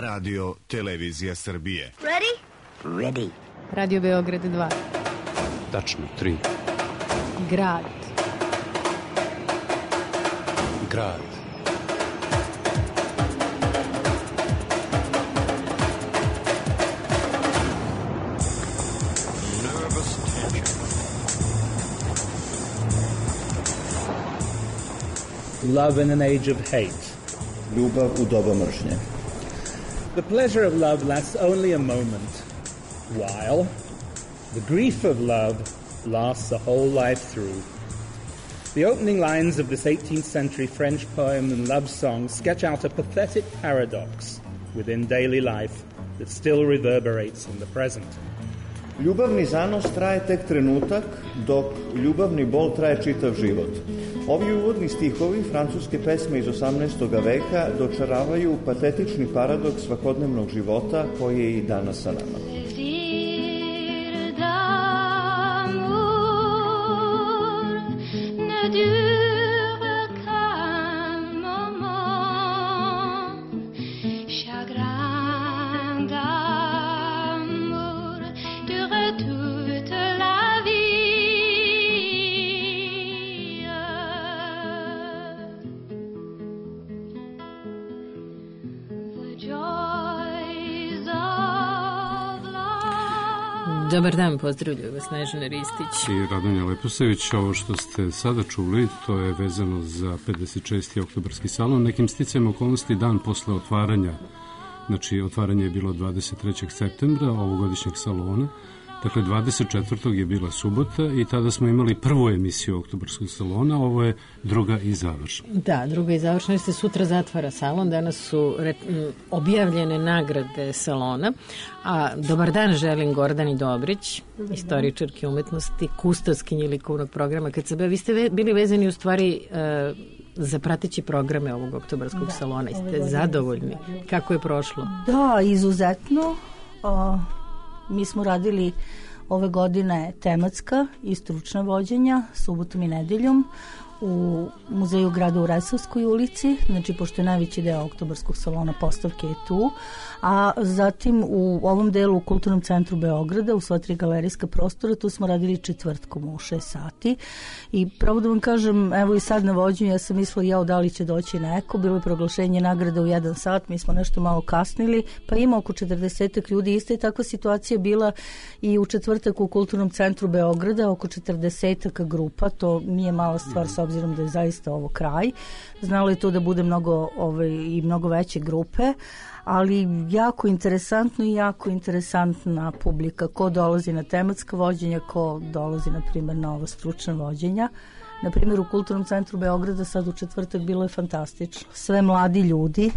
Radio Televizija Srbije. Ready? Ready. Radio Beograd 2. Tačno 3. Grad. Grad. Love in an age of hate. Ljubav u doba mržnje. The pleasure of love lasts only a moment, while the grief of love lasts a whole life through. The opening lines of this 18th century French poem and love song sketch out a pathetic paradox within daily life that still reverberates in the present. Ljubavni zanos traje tek trenutak, dok ljubavni bol traje čitav život. Ovi uvodni stihovi francuske pesme iz 18. veka dočaravaju patetični paradoks svakodnevnog života koji je i danas sa nama. Dobar dan, pozdravljaju vas Snežana Ristić i Radonja Leposević. Ovo što ste sada čuli, to je vezano za 56. oktobarski salon. Nekim sticajem okolnosti dan posle otvaranja, znači otvaranje je bilo 23. septembra ovogodišnjeg salona. Dakle, 24. je bila subota i tada smo imali prvu emisiju oktobarskog salona, ovo je druga i završna. Da, druga i završna, jer se sutra zatvara salon, danas su objavljene nagrade salona, a dobar dan želim Gordani Dobrić, istoričarki umetnosti, kustoskinji likovnog programa KCB. Vi ste bili vezani u stvari za prateći programe ovog oktobarskog salona i ste zadovoljni. Kako je prošlo? Da, izuzetno. Mi smo radili ove godine tematska i stručna vođenja subotom i nedeljom u muzeju grada u Resavskoj ulici, znači pošto je najveći deo oktobarskog salona postavke je tu, a zatim u ovom delu u Kulturnom centru Beograda u sva 3 galerijska prostora, tu smo radili četvrtkom u 6 sati i pravo da vam kažem, evo i sad na vođenju ja sam mislila da li će doći neko, bilo je proglašenje nagrade u 1 sat, mi smo nešto malo kasnili, pa ima oko 40 ljudi, ista je takva situacija bila i u četvrtak u Kulturnom centru Beograda, oko 40 grupa, to nije mala stvar s obzirom da je zaista ovo kraj. Znalo je to da bude mnogo veće grupe, ali jako interesantno i jako interesantna publika. Ko dolazi na tematska vođenja, ko dolazi, na primjer, na ova stručna vođenja. Na primjer, u Kulturnom centru Beograda sad u četvrtak bilo je fantastično. Sve mladi ljudi.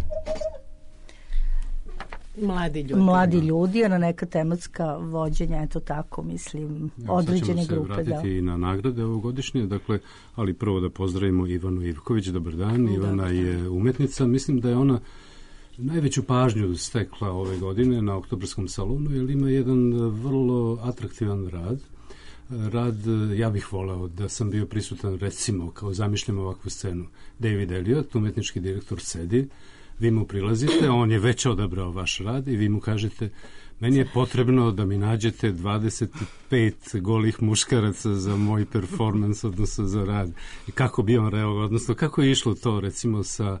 Mladi ljudi, a na neka tematska vođenja, eto tako, mislim, određene grupe. Sad ćemo se vratiti i na nagrade ovogodišnje, dakle, ali prvo da pozdravimo Ivanu Ivković, dobar dan. Ivana je umetnica, mislim da je ona najveću pažnju stekla ove godine na oktobarskom salonu, jer ima jedan vrlo atraktivan rad, ja bih voleo da sam bio prisutan, recimo, kao zamišljam ovakvu scenu. David Elliot, umetnički direktor, sedi, vi mu prilazite, on je već odabrao vaš rad i vi mu kažete, meni je potrebno da mi nađete 25 golih muškaraca za moj performans, odnosno za rad. I kako bi on reagovao, odnosno kako je išlo to, recimo, sa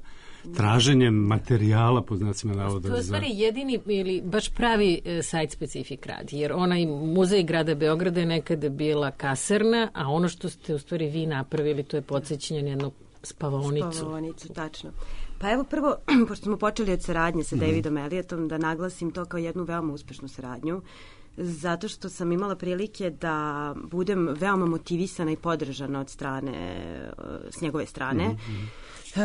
traženjem materijala, po znacima navoda. To je stvari jedini ili baš pravi site-specific rad, jer onaj muzej grada Beograda je nekada bila kasarna, a ono što ste u stvari vi napravili, to je podsjećanje na jednu spavaonicu, tačno. Pa evo prvo, pošto smo počeli od saradnje sa Davidom Elliotom, da naglasim to kao jednu veoma uspešnu saradnju, zato što sam imala prilike da budem veoma motivisana i podržana od strane, s njegove strane.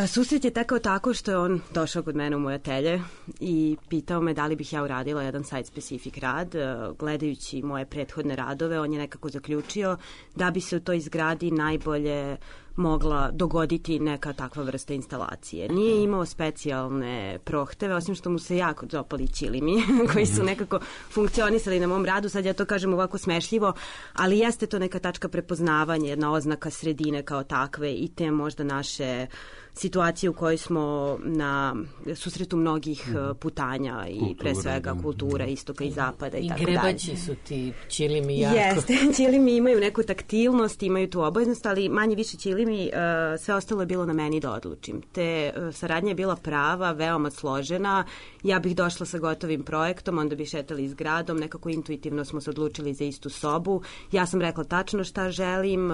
Susret je tekao tako što je on došao kod mene u moje atelje i pitao me da li bih ja uradila jedan site-specific rad. Gledajući moje prethodne radove, on je nekako zaključio da bi se u toj zgradi najbolje mogla dogoditi neka takva vrsta instalacije. Nije imao specijalne prohteve, osim što mu se jako dopali ćilimi koji su nekako funkcionisali na mom radu. Sad ja to kažem ovako smešljivo, ali jeste to neka tačka prepoznavanja, jedna oznaka sredine kao takve i te možda naše situaciju u kojoj smo na susretu mnogih putanja i pre svega kultura istoka i zapada i tako dalje. I grebaći su ti ćilimi jako. Jeste, ćilimi imaju neku taktilnost, imaju tu obaveznost, ali manje više ćilimi, sve ostalo je bilo na meni da odlučim. Te saradnja je bila prava, veoma složena. Ja bih došla sa gotovim projektom, onda bi šetali s gradom, nekako intuitivno smo se odlučili za istu sobu. Ja sam rekla tačno šta želim,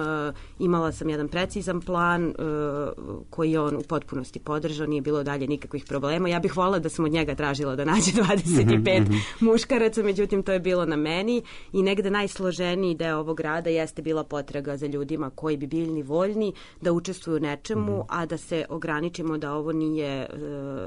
imala sam jedan precizan plan koji je on u potpunosti podržao, nije bilo dalje nikakvih problema. Ja bih voljela da sam od njega tražila da nađe 25 muškaraca, međutim to je bilo na meni i negde najsloženiji deo ovog rada jeste bila potraga za ljudima koji bi bili voljni da učestvuju u nečemu, a da se ograničimo da ovo nije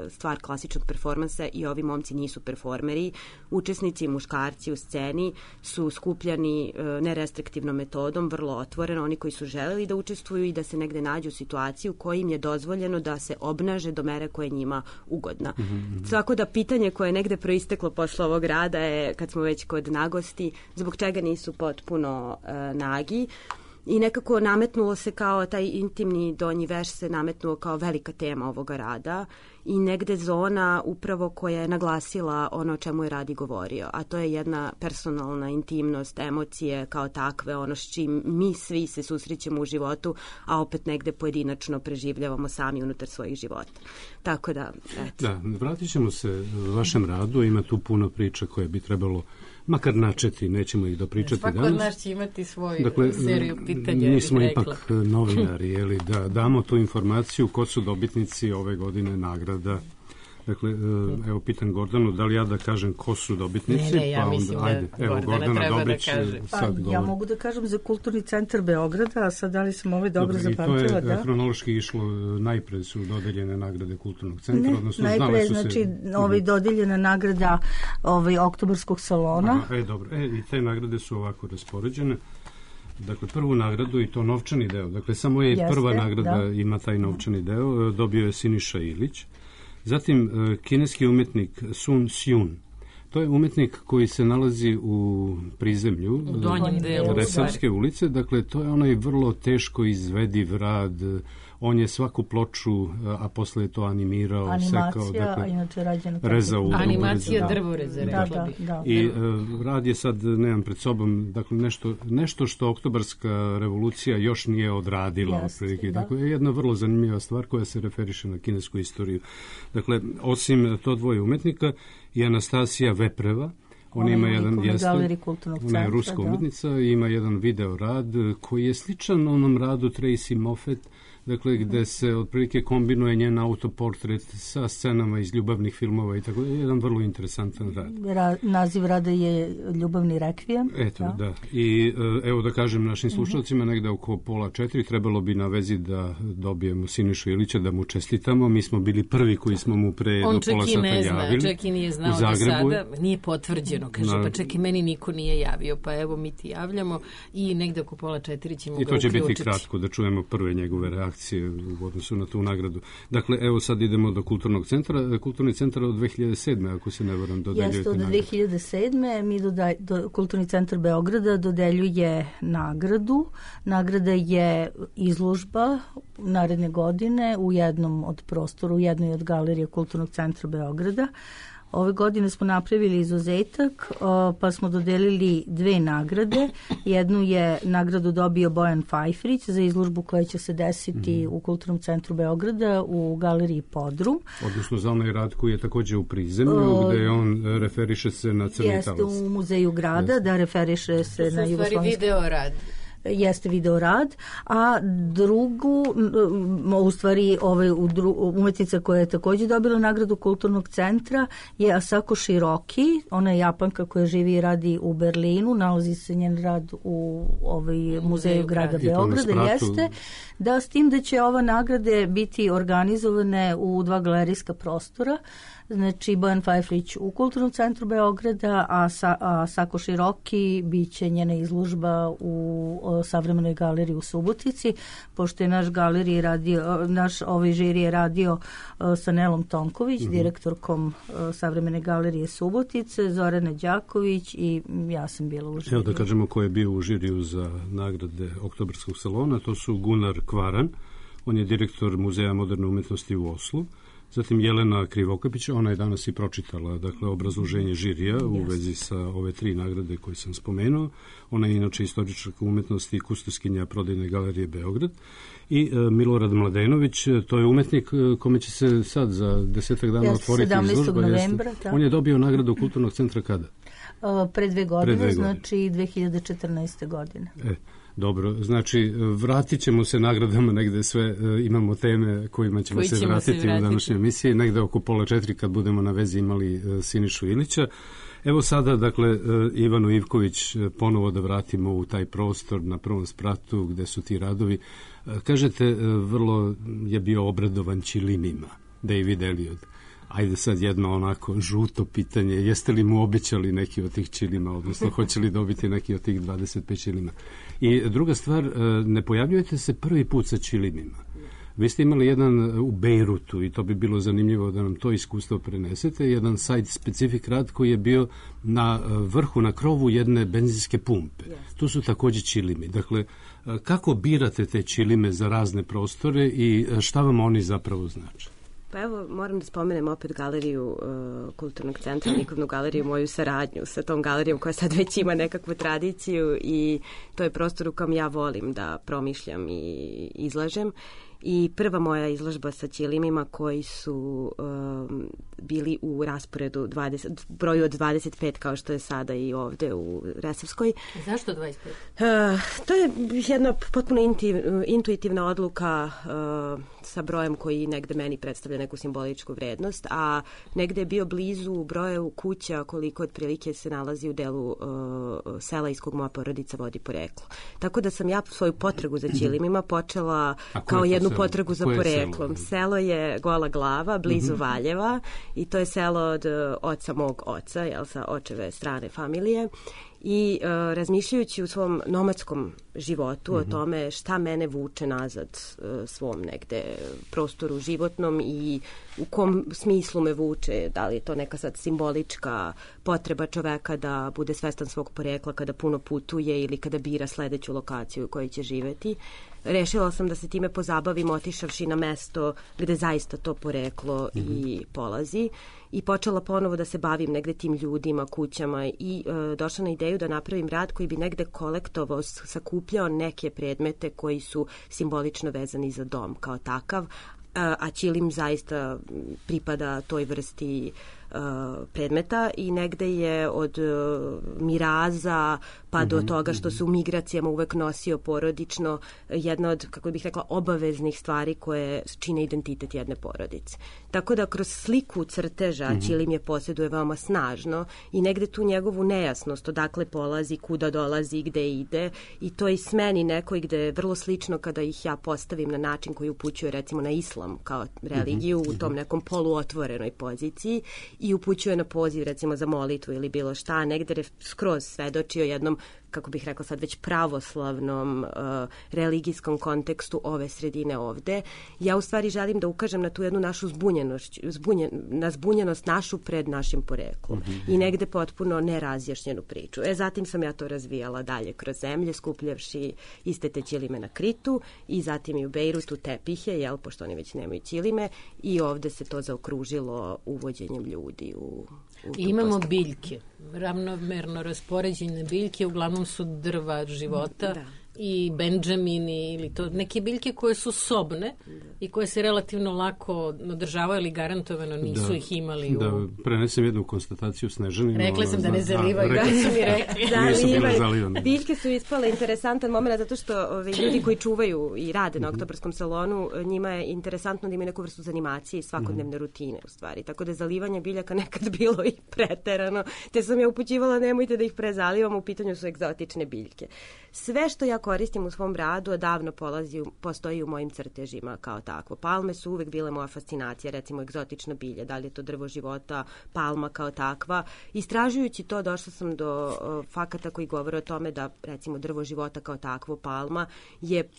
stvar klasičnog performansa i ovi momci nisu performeri. Učesnici, muškarci u sceni su skupljani nerestriktivnom metodom, vrlo otvoreno, oni koji su želeli da učestvuju i da se negde nađu u situaciji u kojoj im je dozvoljeno da se obnaže do mere koja je njima ugodna. Tako da pitanje koje je negde proisteklo posle ovog rada je, kad smo već kod nagosti, zbog čega nisu potpuno nagi. I nekako nametnulo se kao taj intimni donji veš se nametnuo kao velika tema ovoga rada i negde zona upravo koja je naglasila ono o čemu je Radi govorio, a to je jedna personalna intimnost, emocije kao takve, ono s čim mi svi se susrećemo u životu, a opet negde pojedinačno preživljavamo sami unutar svojih života. Tako da, eto. Da, vratit ćemo se vašem radu, ima tu puno priča koje bi trebalo makar načeti, nećemo ih dopričati danas. Svako od nas će imati svoju seriju pitanja. Mi smo ipak novinari, jeli, da damo tu informaciju ko su dobitnici ove godine nagrada. Dakle, evo pitam Gordanu, da li ja da kažem ko su dobitnici? Ne, ja mislim da Gordana treba Dobrić, da kaže. Ja mogu da kažem za Kulturni centar Beograda, a sad da li sam ovo dobro zapamtila? To je hronološki išlo, najpre su dodeljene nagrade Kulturnog centra, odnosno najpre, znači, dodeljena nagrada Oktobarskog salona. Dobro, i te nagrade su ovako raspoređene. Dakle, prvu nagradu i to novčani deo, dakle, samo je prva nagrada ima taj novčani deo, dobio je Siniša Ilić. Zatim, kineski umetnik Sun Xiun. To je umetnik koji se nalazi u prizemlju, u donjem delu Resavske ulice. Dakle, to je onaj vrlo teško izvediv rad. On je svaku ploču, a posle je to animirao, sekao, dakle, rezao. Animacija drvoreza, rekla bih. I rad je sad, nemam pred sobom, dakle, nešto što Oktobarska revolucija još nije odradila. Dakle, je jedna vrlo zanimljiva stvar koja se referiše na kinesku istoriju. Dakle, osim to dvoje umetnika i Anastasija Vepreva, ona ima jedan ona je ruska umetnica i ima jedan video rad koji je sličan onom radu Tracy Moffat, dakle, gde se otprilike kombinuje njen autoportret sa scenama iz ljubavnih filmova i tako da je jedan vrlo interesantan rad. Naziv rada je Ljubavni rekvijem. Eto, da. I evo da kažem našim slušalcima, negde oko 3:30 trebalo bi na vezi da dobijemo Sinišu Ilića, da mu čestitamo. Mi smo bili prvi koji smo mu pre do pola sata javili. On čak i nije znao do sada, nije potvrđeno, kaže, pa čak i meni niko nije javio, pa evo mi ti javljamo i negde oko 3:30 ćemo ga uključiti. I to će biti kratko, da čujemo prve njegove reakcije u odnosu na tu nagradu. Dakle, evo sad idemo do Kulturnog centra. Kulturni centar od 2007. ako se ne varam dodeljujete nagradu. Jeste, od 2007. mi Kulturni centar Beograda dodeljuje nagradu. Nagrada je izložba naredne godine u jednom od prostora, u jednoj od galerije Kulturnog centra Beograda. Ove godine smo napravili izuzetak, pa smo dodelili 2 nagrade. Jednu je nagradu dobio Bojan Fajfrić za izložbu koja će se desiti u Kulturnom centru Beograda u galeriji Podrum. Odnosno za onaj rad koji je takođe u prizemlju, gde on referiše se na Crni talas. Jeste u Muzeju grada, da referiše se na jugoslovenski. To su stvari video rad. Jeste video rad, a drugu, u stvari umetnica koja je takođe dobila nagradu Kulturnog centra je Asako Shiroki, ona je Japanka koja živi i radi u Berlinu, nalazi se njen rad u Muzeju grada Beograda, jeste, da s tim da će ova nagrade biti organizovane u 2 galerijska prostora, znači Bojan Fajfrić u Kulturnom centru Beograda, a Sako Shiroki biće njena izložba u Savremenoj galeriji u Subotici, pošto je naš žiri je radio sa Nelom Tonković, direktorkom Savremene galerije Subotice, Zorana Đaković i ja sam bila u žiriju. Evo da kažemo ko je bio u žiriju za nagrade Oktobarskog salona, to su Gunnar Kvaran, On je direktor Muzeja moderne umetnosti u Oslu. Zatim Jelena Krivokapić, ona je danas i pročitala obrazloženje žirija u vezi sa ove 3 nagrade koje sam spomenuo. Ona je inače istoričarka umetnosti i kustoskinja Prodajne galerije Beograd. I Milorad Mladenović, to je umetnik kome će se sad za 10 dana otvoriti izložba. 17. novembra. On je dobio nagradu Kulturnog centra kada? Pre 2 godine, znači 2014. godine. Dobro, znači vratit ćemo se nagradama negde sve, imamo teme kojima ćemo se vratiti u današnjoj emisiji, negde oko 3:30 kad budemo na vezi imali Sinišu Ilića. Evo sada, dakle, Ivanu Ivković ponovo da vratimo u taj prostor na prvom spratu gde su ti radovi. Kažete, vrlo je bio obradovan ćilimima, David Eliot. Ajde sad jedno onako žuto pitanje, jeste li mu obećali neki od tih ćilima, odnosno hoće li dobiti neki od tih 25 ćilima? I druga stvar, ne pojavljujete se prvi put sa ćilimima. Vi ste imali jedan u Bejrutu i to bi bilo zanimljivo da nam to iskustvo prenesete, jedan site specific rad koji je bio na vrhu, na krovu jedne benzinske pumpe. Tu su takođe ćilimi. Dakle, kako birate te ćilime za razne prostore i šta vam oni zapravo znači? Pa evo, moram da spomenem opet galeriju Kulturnog centra, likovnu galeriju, moju saradnju sa tom galerijom koja sad već ima nekakvu tradiciju i to je prostor u kojem ja volim da promišljam i izlažem. I prva moja izložba sa ćilimima koji su bili u rasporedu broju od 25 kao što je sada i ovde u Resavskoj. Zašto 25? To je jedna potpuno intuitivna odluka sa brojem koji negde meni predstavlja neku simboličku vrednost, a negde je bio blizu broju kuća koliko otprilike se nalazi u delu sela iz kog moja porodica vodi poreklo. Tako da sam ja svoju potragu za ćilimima počela kao jednu potragu za poreklom. Selo je Gola Glava, blizu Valjeva i to je selo od oca mog oca, sa očeve strane familije. I razmišljajući u svom nomadskom životu o tome šta mene vuče nazad svom negde prostoru životnom i u kom smislu me vuče, da li je to neka sad simbolička potreba čoveka da bude svestan svog porekla kada puno putuje ili kada bira sledeću lokaciju u kojoj će živeti. Rešila sam da se time pozabavim otišavši na mesto gde zaista to poreklo i polazi i počela ponovo da se bavim negde tim ljudima, kućama i došla na ideju da napravim rad koji bi negde kolektovao, sakupljao neke predmete koji su simbolično vezani za dom kao takav, a ćilim zaista pripada toj vrsti predmeta i negde je od miraza pa do toga što se u migracijama uvek nosio porodično jedna od, kako bih rekla, obaveznih stvari koje čine identitet jedne porodice. Tako da kroz sliku crteža ćilim je posjeduje veoma snažno i negde tu njegovu nejasnost odakle polazi, kuda dolazi, gde ide i to i smeni nekoj gde je vrlo slično kada ih ja postavim na način koji upućuje recimo na islam kao religiju u tom nekom poluotvorenoj poziciji i upućuje na poziv recimo za molitvu ili bilo šta, negde skroz svedoči o jednom, kako bih rekla sad već pravoslavnom religijskom kontekstu ove sredine ovde. Ja u stvari želim da ukažem na tu jednu našu zbunjenost našu pred našim poreklom i negde potpuno nerazjašnjenu priču. Zatim sam ja to razvijala dalje kroz zemlje, skupljavši iste te ćilime na Kritu i zatim i u Bejrutu tepihe, pošto oni već nemaju ćilime i ovde se to zaokružilo uvođenjem ljudi u imamo biljke, ravnomerno raspoređene biljke, uglavnom su drva života i benđamini ili to neke biljke koje su sobne i koje se relativno lako održavaju, ali garantovano nisu ih imali. Da, prenesem jednu konstataciju Snežanima. Rekla sam da ne zalivaju, da su mi rekli. Zalivane. Biljke su ispale interesantan moment zato što ljudi koji čuvaju i rade na Oktobarskom salonu, njima je interesantno da imaju neku vrstu zanimacije i svakodnevne rutine u stvari. Tako da je zalivanje biljaka nekad bilo i preterano, te sam ja upućivala nemojte da ih prezalivamo, u pitanju su egzotične biljke. Sve što ja koristim u svom radu odavno postoji u mojim crtežima kao takvo. Palme su uvek bile moja fascinacija, recimo egzotična bilja, da li je to drvo života, palma kao takva. Istražujući to došla sam do fakata koji govore o tome da recimo drvo života kao takvo, palma, je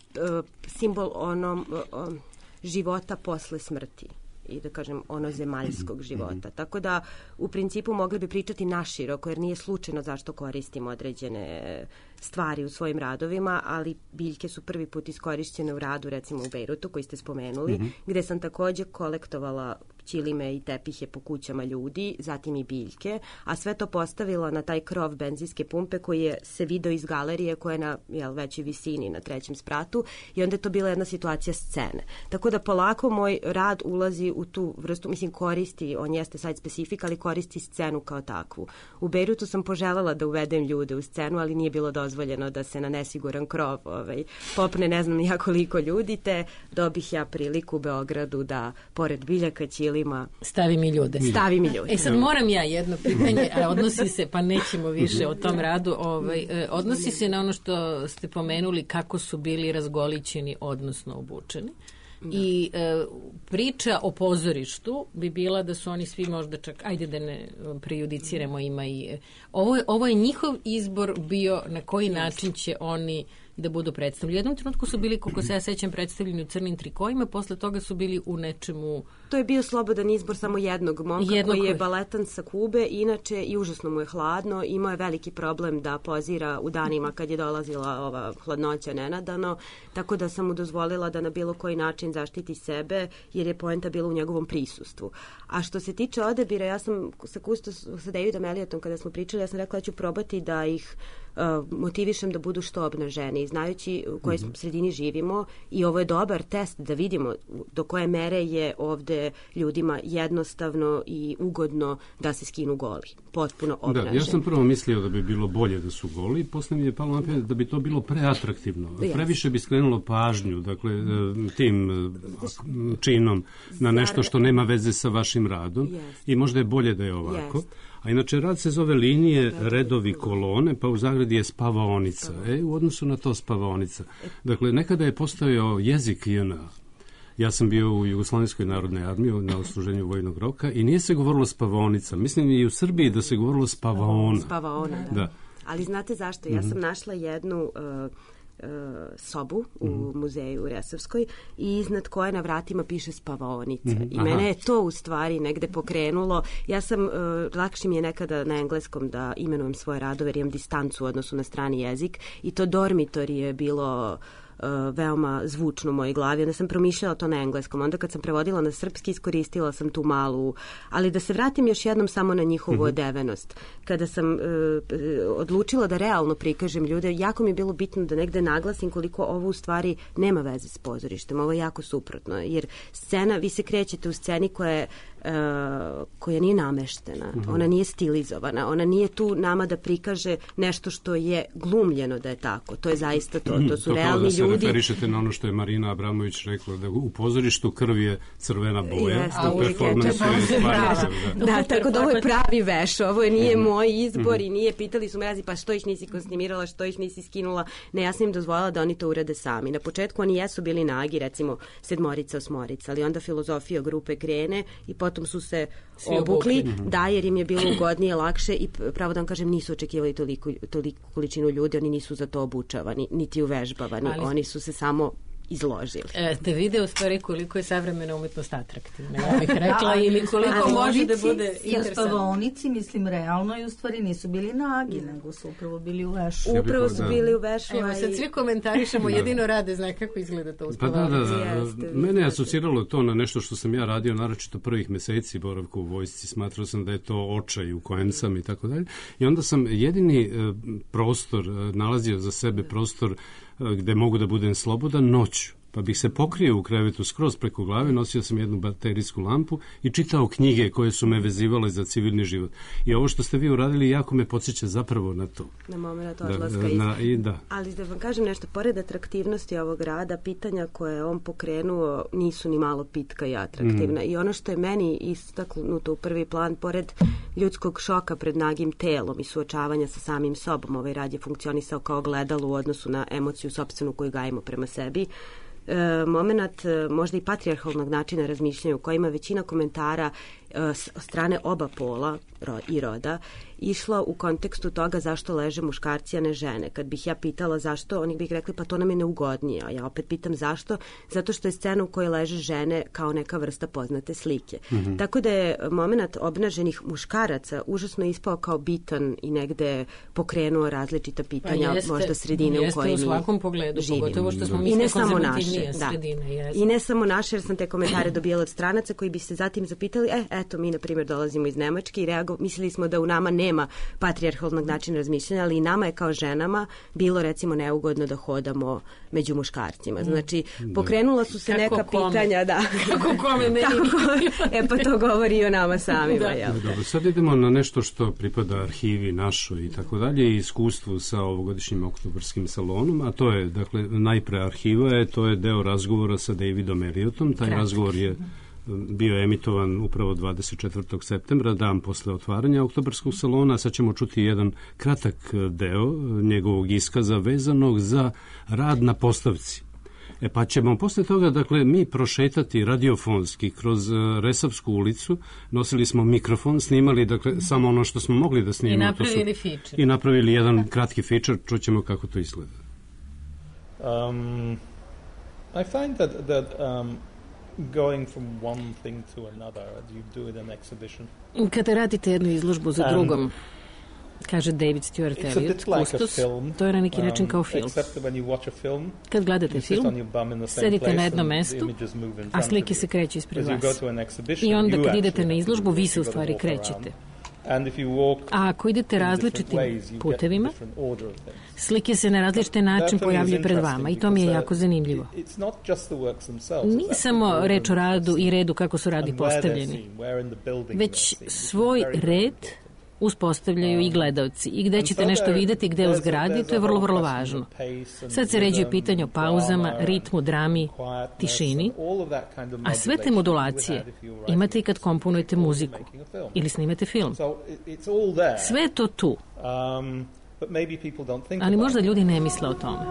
simbol života posle smrti. i da kažem zemaljskog života. Tako da u principu mogli bi pričati naširoko, jer nije slučajno zašto koristimo određene stvari u svojim radovima, ali biljke su prvi put iskorišćene u radu, recimo u Bejrutu koji ste spomenuli, gde sam takođe kolektovala ćilime i tepihe po kućama ljudi, zatim i biljke, a sve to postavila na taj krov benzinske pumpe koji je se video iz galerije koja je na većoj visini, na 3. spratu, i onda je to bila jedna situacija scene. Tako da polako moj rad ulazi u tu vrstu, mislim koristi, on jeste site specific, ali koristi scenu kao takvu. U Bejrutu sam poželjela da uvedem ljude u scenu, ali nije bilo dozvoljeno da se na nesiguran krov popne ne znam ja koliko ljudi, te dobih ja priliku u Beogradu da pored biljaka, ćilima Stavi mi ljude. Sad moram ja jedno pitanje, a odnosi se, pa nećemo više o tom radu, odnosi se na ono što ste pomenuli kako su bili razgolićeni, odnosno obučeni. I priča o pozorištu bi bila da su oni svi možda čak, ajde da ne prejudiciramo, ima i ovo je njihov izbor bio na koji način će oni da budu predstavljeni. U jednom trenutku su bili, koliko se ja sećam, predstavljeni u crnim trikojima, posle toga su bili u nečemu... To je bio slobodan izbor samo jednog momka koji je baletan sa Kube, inače i užasno mu je hladno, imao je veliki problem da pozira u danima kad je dolazila ova hladnoća nenadano, tako da sam mu dozvolila da na bilo koji način zaštiti sebe, jer je poenta bila u njegovom prisustvu. A što se tiče odabira, ja sam sa Davidom Elliotom kada smo pričali, ja sam rekla da ću probati da ih motivišem da budu što obnaženi, znajući u kojoj sredini živimo, i ovo je dobar test da vidimo do koje mere je ovde ljudima jednostavno i ugodno da se skinu goli, potpuno obnaženi. Da, ja sam prvo mislio da bi bilo bolje da su goli, posle mi je palo na pamet da bi to bilo preatraktivno. Previše bi skrenulo pažnju, dakle, tim činom na nešto što nema veze sa vašim radom i možda je bolje da je ovako. A inače, rad se zove linije, redovi, kolone, pa u zagradi je spavaonica. U odnosu na to spavaonica. Dakle, nekada je postojao jezik JNA. Ja sam bio u Jugoslovenskoj narodnoj armiji na odsluženju vojnog roka i nije se govorilo spavaonica. Mislim i u Srbiji da se govorilo spavaona. Spavaona, da. Ali znate zašto? Ja sam našla jednu sobu u muzeju u Resavskoj i iznad koje na vratima piše spavaonica. I mene je to u stvari negde pokrenulo. Ja sam, lakše mi je nekada na engleskom da imenujem svoje radove, jer imam distancu u odnosu na strani jezik, i to dormitori je bilo veoma zvučno u mojoj glavi. Onda sam promišljala to na engleskom. Onda kad sam prevodila na srpski, iskoristila sam tu malu... Ali da se vratim još jednom samo na njihovu odevenost. Kada sam odlučila da realno prikažem ljude, jako mi je bilo bitno da negde naglasim koliko ovo u stvari nema veze s pozorištem. Ovo je jako suprotno. Jer scena, vi se krećete u sceni koja nije nameštena. Ona nije stilizovana. Ona nije tu nama da prikaže nešto što je glumljeno da je tako. To je zaista to. To su realni ljudi. To se referišete na ono što je Marina Abramović rekla, da u pozorištu krv je crvena boja, u performansu je stvarno. Da, tako da ovo je pravi veš. Ovo nije moj izbor i nije, pitali su me razi, pa što ih nisi kostimirala, što ih nisi skinula. Ne, ja sam im dozvolila da oni to urade sami. Na početku oni jesu bili nagi, recimo 7, 8, ali onda filozofija grupe krene i potom su se obukli, da, jer im je bilo ugodnije, lakše, i pravo da vam kažem, nisu očekivali toliku količinu ljudi, oni nisu za to obučavani, niti uvežbavani, oni su se samo izložili. Te vide u stvari koliko je savremena umetnost atraktivna, ja bih rekla, ili koliko može da bude interesantno. Spavaonici, mislim, realno i u stvari nisu bili nagi, nego su upravo bili u vešu. Upravo su bili u vešu. Evo, sad svi komentarišemo, jedino rade, zna kako izgleda to u spavaonici. Mene je asociralo to na nešto što sam ja radio, naročito prvih meseci boravka u vojsci, smatrao sam da je to očaj u kojem sam i tako dalje. I onda sam jedini prostor nalazio za sebe, prostor gde mogu da budem slobodan, noću. Pa bih se pokrio u krevetu skroz preko glave, nosio sam jednu baterijsku lampu i čitao knjige koje su me vezivale za civilni život. I ovo što ste vi uradili jako me podsjeća zapravo na to. Na moment odlaska Ali da vam kažem nešto, pored atraktivnosti ovog rada, pitanja koje je on pokrenuo nisu ni malo pitka i atraktivna. I ono što je meni istaknuto u prvi plan, pored ljudskog šoka pred nagim telom i suočavanja sa samim sobom, ovaj rad je funkcionisao kao gledalo u odnosu na emociju sopstvenu koju gajimo prema sebi. Moment možda i patrijarhalnog načina razmišljanja u kojima većina komentara strane oba pola i roda išla u kontekstu toga zašto leže muškarci, a ne žene. Kad bih ja pitala zašto, oni bih rekli pa to nam je neugodnije, a ja opet pitam zašto, zato što je scena u kojoj leže žene kao neka vrsta poznate slike. Tako da je moment obnaženih muškaraca užasno ispao kao bitan i negde pokrenuo različita pitanja, možda sredine u kojoj mi živimo. U svakom pogledu, pogotovo što smo I ne samo naše, sredine. I ne samo naše, jer sam te komentare dobijala od stranaca koji bi se zatim zapitali, eto, mi, na primjer, dolazimo iz Nemačke i mislili smo da u nama nema patrijarhalnog načina razmišljanja, ali i nama je kao ženama bilo, recimo, neugodno da hodamo među muškarcima. Znači, pokrenula su se neka pitanja, da. Kako kome meni? Pa to govori i o nama samima. Dobro, sad idemo na nešto što pripada arhivi našoj i tako dalje, i iskustvu sa ovogodišnjim oktobarskim salonom, a to je, dakle, najpre arhiva to je deo razgovora sa Davidom Elliotom. Taj razgovor je bio emitovan upravo 24. septembra, dan posle otvaranja oktobarskog salona. Sad ćemo čuti jedan kratak deo njegovog iskaza vezanog za rad na postavci. Pa ćemo posle toga, dakle, mi prošetati radiofonski kroz Resavsku ulicu, nosili smo mikrofon, snimali, dakle, samo ono što smo mogli da snimamo. I napravili feature. I napravili jedan kratki feature, čućemo kako to izgleda. I find that going from one thing to another, you do it in exhibition. Kada radite jednu izložbu za drugom, kaže David Stuart Elliott, kustos, to je na neki način kao film. Kad gledate film, sedite na jednom mestu, a slike se kreću ispred vas. I onda kad idete na izložbu, vi se u stvari krećete. A ako idete različitim putevima, slike se na različite način pojavljaju pred vama i to mi je jako zanimljivo. Nije samo reč o radu i redu kako su radi postavljeni, već svoj red uspostavljaju i gledalci. I gde ćete nešto videti, gde u zgradi, to je vrlo, vrlo važno. Sad se ređuje pitanje o pauzama, ritmu, drami, tišini, a sve te modulacije imate i kad komponujete muziku ili snimate film. Sve je to tu. Ali možda ljudi ne misle o tome.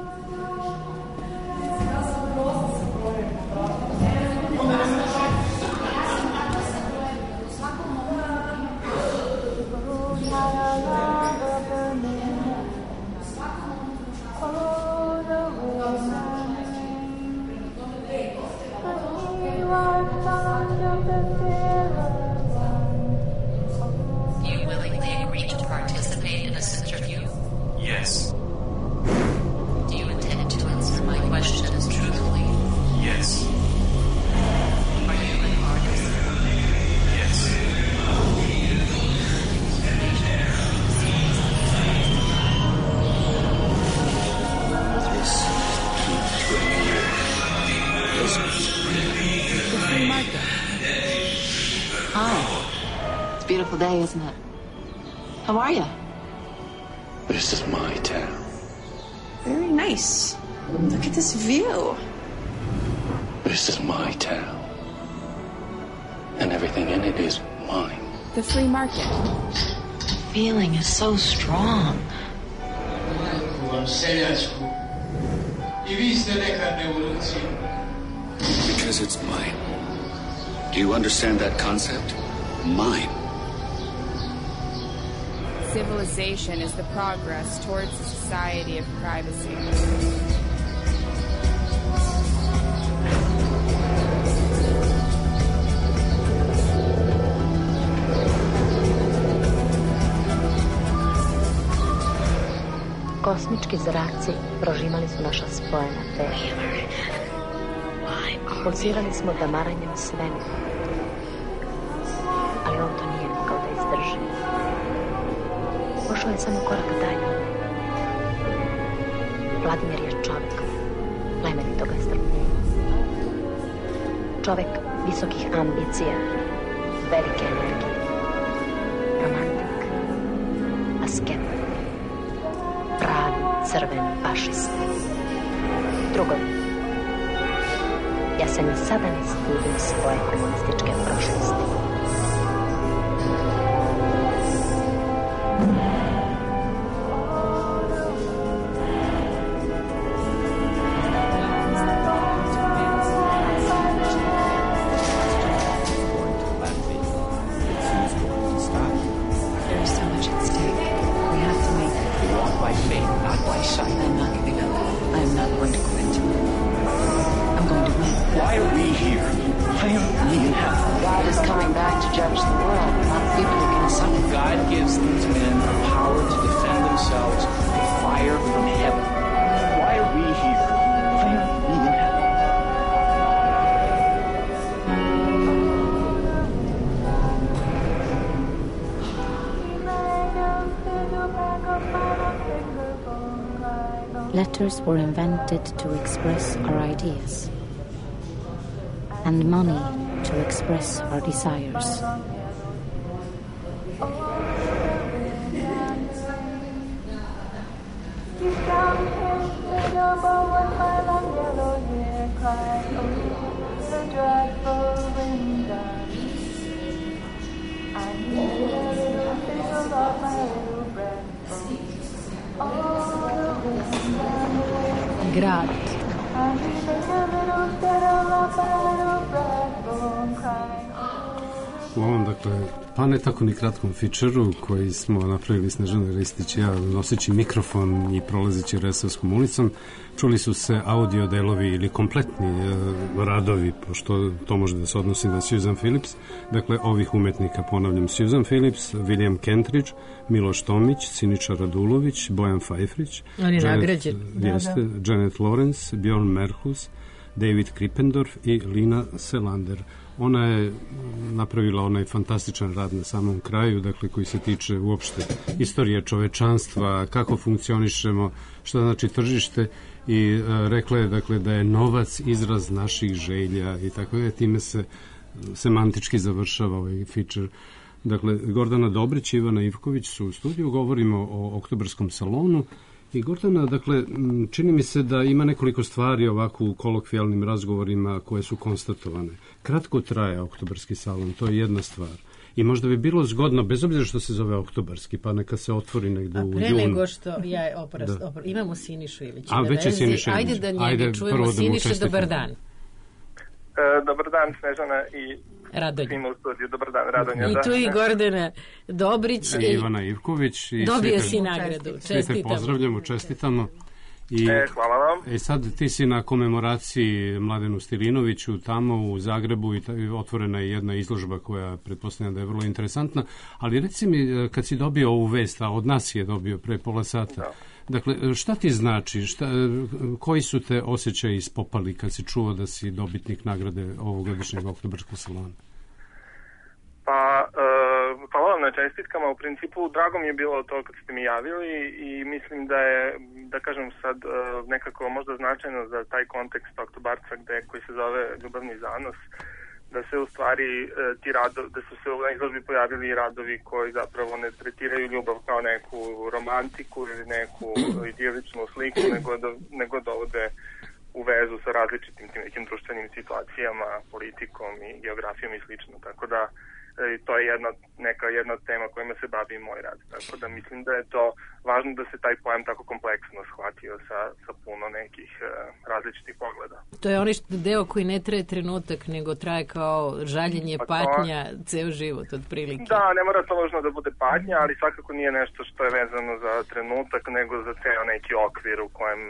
Yes. Do you intend to answer my questions truthfully? Yes. Are you an artist? Yes. The free market. Hi. It's a beautiful day, isn't it? How are you? This is my town. Very nice. Look at this view. This is my town. And everything in it is mine. The free market. The feeling is so strong. Because it's mine. Do you understand that concept? Mine. Civilization is the progress towards a society of privacy. Kosmički zraci prožimali su naša spojena tela. Pulsirali smo damaranjem svemira. Ali on to nije mogao da izdrži. Pošao je samo korak dalje. Vladimir je čovek, plemenitog strpljenja. Čovek visokih ambicija, velike energije. Romantik, asket, pravi crveni fašista. Drugovi, ja se ni sada ne stidim svoje komunističke prošlosti. not my side. I'm not giving up. I'm not going to quit. I'm going to win. Why are we here? Why are we in hell? God is coming back to judge the world. A lot of people are going to suffer. God gives these men the power to defend themselves with fire from heaven. Why are we here? Why are we in hell? Letters were invented to express our ideas, and money to express our desires. Grad. U ovom, dakle, pa ne tako ni kratkom fičeru koji smo napravili Snežana Ristić i ja, noseći mikrofon i prolazeći Resavskom ulicom, čuli su se audio delovi ili kompletni radovi, pošto to može da se odnosi na Susan Phillips, dakle, ovih umetnika, ponavljam, Susan Phillips, William Kentridge, Miloš Tomić, Siniša Radulović, Bojan Fajfrić, Janet Lawrence, Bjorn Merhus, David Krippendorf i Lina Selander. Ona je napravila onaj fantastičan rad na samom kraju, dakle, koji se tiče uopšte istorije čovečanstva, kako funkcionišemo, šta znači tržište, i rekla je, dakle, da je novac izraz naših želja i tako je, time se semantički završava ovaj feature. Dakle, Gordana Dobrić i Ivana Ivković su u studiju, govorimo o Oktobarskom salonu. I Gordana, dakle, čini mi se da ima nekoliko stvari ovako u kolokvijalnim razgovorima koje su konstatovane. Kratko traje Oktobarski salon, to je jedna stvar. I možda bi bilo zgodno, bez obzira što se zove Oktobarski, pa neka se otvori negde u junu. A pre nego što imamo Sinišu Ilića. Ajde da njega čujemo. Siniša, dobar dan. Dobar dan, Snežana i svima u studiju. Dobar dan, Radonja. I tu i Gordana Dobrić i Ivana Ivković. Dobio si nagradu. Čestitamo. Pozdravljamo, čestitamo. Hvala vam. Sad ti si na komemoraciji Mladenu Stilinoviću tamo u Zagrebu i otvorena je jedna izložba koja pretpostavljam da je vrlo interesantna, ali reci mi, kad si dobio ovu vest, a od nas je dobio pre pola sata, dakle, šta ti znači, koji su te osjećaji ispopali kad si čuo da si dobitnik nagrade ovogodišnjeg Oktobarskog salona? Pa, hvala vam na čestitkama. U principu, drago mi je bilo to kad ste mi javili i mislim da je, da kažem sad, nekako možda značajno za taj kontekst Oktobarca koji se zove Ljubavni zanos, da se u stvari da su se u izložbi pojavili i radovi koji zapravo ne tretiraju ljubav kao neku romantiku ili neku idiličnu sliku, nego dovode u vezu sa različitim nekim društvenim situacijama, politikom i geografijom i slično. Tako da to je jedna tema kojima se bavi moj rad. Tako da mislim da je to važno da se taj pojam tako kompleksno shvatio sa puno nekih različitih pogleda. To je onaj deo koji ne traje trenutak, nego traje kao žaljenje, patnja, ceo život otprilike. Da, ne mora to nužno da bude patnja, ali svakako nije nešto što je vezano za trenutak, nego za ceo neki okvir u kojem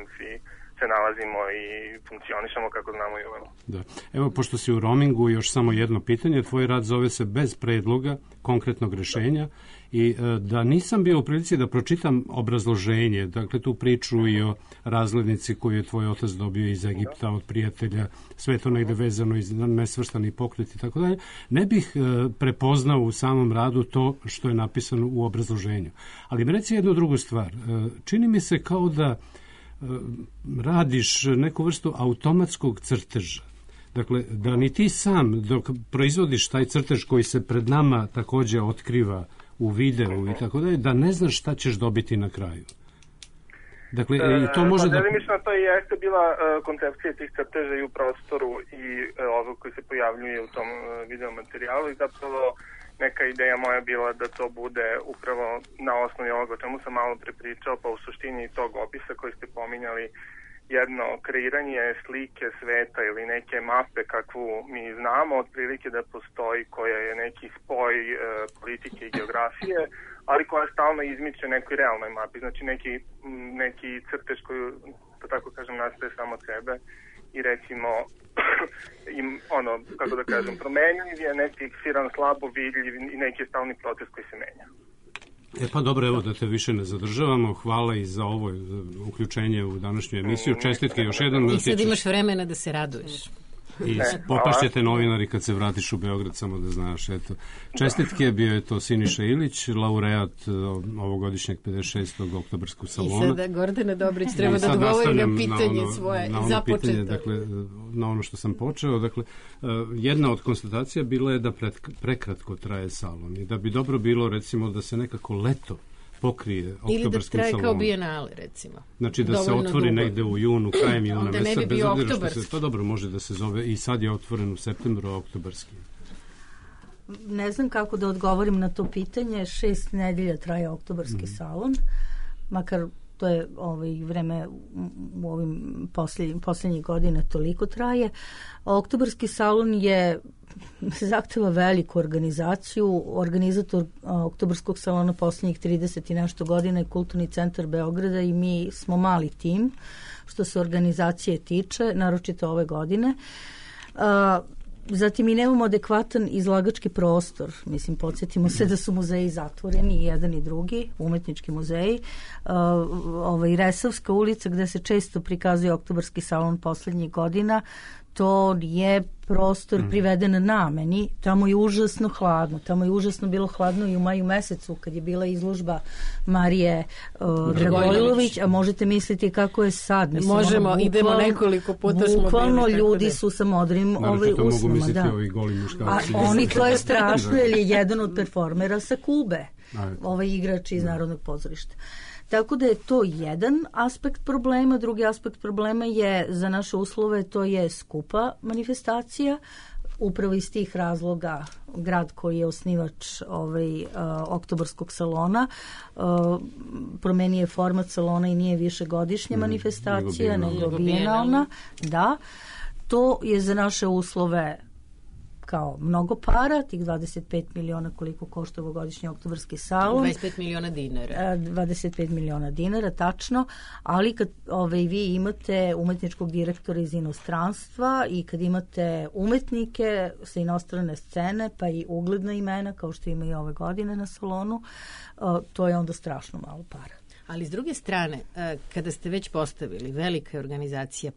se nalazimo i funkcionišemo kako znamo i umemo. Da. Evo, pošto si u roamingu, još samo jedno pitanje. Tvoj rad zove se Bez predloga, konkretnog rešenja, i da nisam bio u prilici da pročitam obrazloženje, dakle tu priču i o razglednici koju je tvoj otac dobio iz Egipta od prijatelja, sve to negde vezano iz nesvrstani pokret i tako dalje, ne bih prepoznao u samom radu to što je napisano u obrazloženju. Ali mi reci jednu drugu stvar. Čini mi se kao da radiš neku vrstu automatskog crteža. Dakle, da ni ti sam, dok proizvodiš taj crtež koji se pred nama takođe otkriva u videu i tako dalje, da ne znaš šta ćeš dobiti na kraju. Dakle, i to može da... Delimično to i jeste bila koncepcija tih crteža i u prostoru i ovo koji se pojavljuje u tom video materijalu i zapravo neka ideja moja bila da to bude upravo na osnovi ovoga o čemu sam malo prepričao, pa u suštini tog opisa koji ste pominjali, jedno kreiranje slike sveta ili neke mape kakvu mi znamo otprilike da postoji, koja je neki spoj politike i geografije, ali koja stalno izmiče nekoj realnoj mapi, znači neki crtež koji, da tako kažem, nastaje samo od sebe i recimo kako da kažem, promenljiv je, neki fiksiran, slabo vidljiv i neki stalni proces koji se menja. Pa dobro, evo da te više ne zadržavamo. Hvala i za ovo uključenje u današnju emisiju. Čestitke još jedan. I sad imaš vremena da se raduješ. I popašćete novinari kad se vratiš u Beograd, samo da znaš. Eto. Čestitke, bio je to Siniša Ilić, laureat ovogodišnjeg 56. oktobarskog salona. I sada Gordana Dobrić treba da odgovori na pitanje svoje započeto. Pitanje, dakle, na ono što sam počeo. Dakle, jedna od konstatacija bila je da prekratko traje salon i da bi dobro bilo, recimo, da se nekako leto pokrije oktobarskim salonom. Ili da traje kao bijenale, recimo. Znači da se otvori negde u junu, krajem juna. Onda ne bi bio oktobarski. To dobro može da se zove i sad je otvoren u septembru oktobarski. Ne znam kako da odgovorim na to pitanje. 6 nedelja traje oktobarski salon, makar to je vreme u ovim posljednjih godina toliko traje. Oktobarski salon zahteva veliku organizaciju. Organizator oktobarskog salona posljednjih 30 i nešto godina je Kulturni centar Beograda i mi smo mali tim što se organizacije tiče, naročito ove godine. Zatim i nemamo adekvatan izlagački prostor. Mislim, podsjetimo se da su muzeji zatvoreni, jedan i drugi, umetnički muzeji. Resavska ulica gde se često prikazuje oktobarski salon poslednjih godina, to je prostor priveden nameni. Tamo je užasno hladno. Tamo je užasno bilo hladno i u maju mesecu kad je bila izložba Marije Dragojlović, a možete misliti kako je sad. Mislim, možemo, idemo nekoliko puta smo bukvalno ljudi su sa modrim usnama. Mogu misliti ovi goli muškarci. Oni, to je strašno, jer je jedan od performera sa Kube. Igrač iz Narodnog pozorišta. Tako da je to jedan aspekt problema. Drugi aspekt problema je za naše uslove, to je skupa manifestacija. Upravo iz tih razloga grad koji je osnivač oktobarskog salona promenio format salona i nije višegodišnja manifestacija, nego bijenalna. Da, to je za naše uslove kao mnogo para, tih 25 miliona koliko košta ovogodišnji oktobarski salon. 25 miliona dinara. 25 miliona dinara, tačno, ali kad vi imate umetničkog direktora iz inostranstva i kad imate umetnike sa inostrane scene, pa i ugledna imena, kao što ima i ove godine na salonu, to je onda strašno malo para. Ali s druge strane, kada ste već postavili velika organizacija,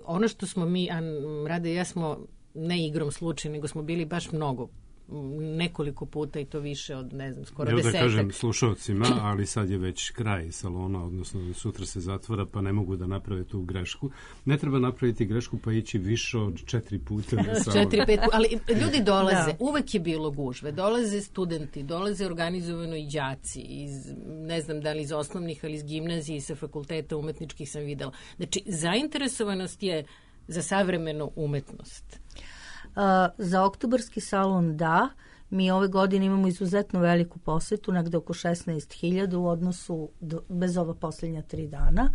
ono što smo mi, Rade i ja smo ne igrom slučaja, nego smo bili baš nekoliko puta i to više od, ne znam, skoro 10. Evo da kažem slušalcima, ali sad je već kraj salona, odnosno sutra se zatvara, pa ne mogu da naprave tu grešku. Ne treba napraviti grešku pa ići više od 4 puta na salon. 4-5 puta, ali ljudi dolaze, uvek je bilo gužve, dolaze studenti, dolaze organizovano i đaci, ne znam da li iz osnovnih, ali iz gimnazije i sa fakulteta umetničkih sam videla. Znači, zainteresovanost je za savremenu umetnost. Za oktobarski salon da. Mi ove godine imamo izuzetno veliku posetu, negde oko 16.000 u odnosu bez ova posljednja 3 dana.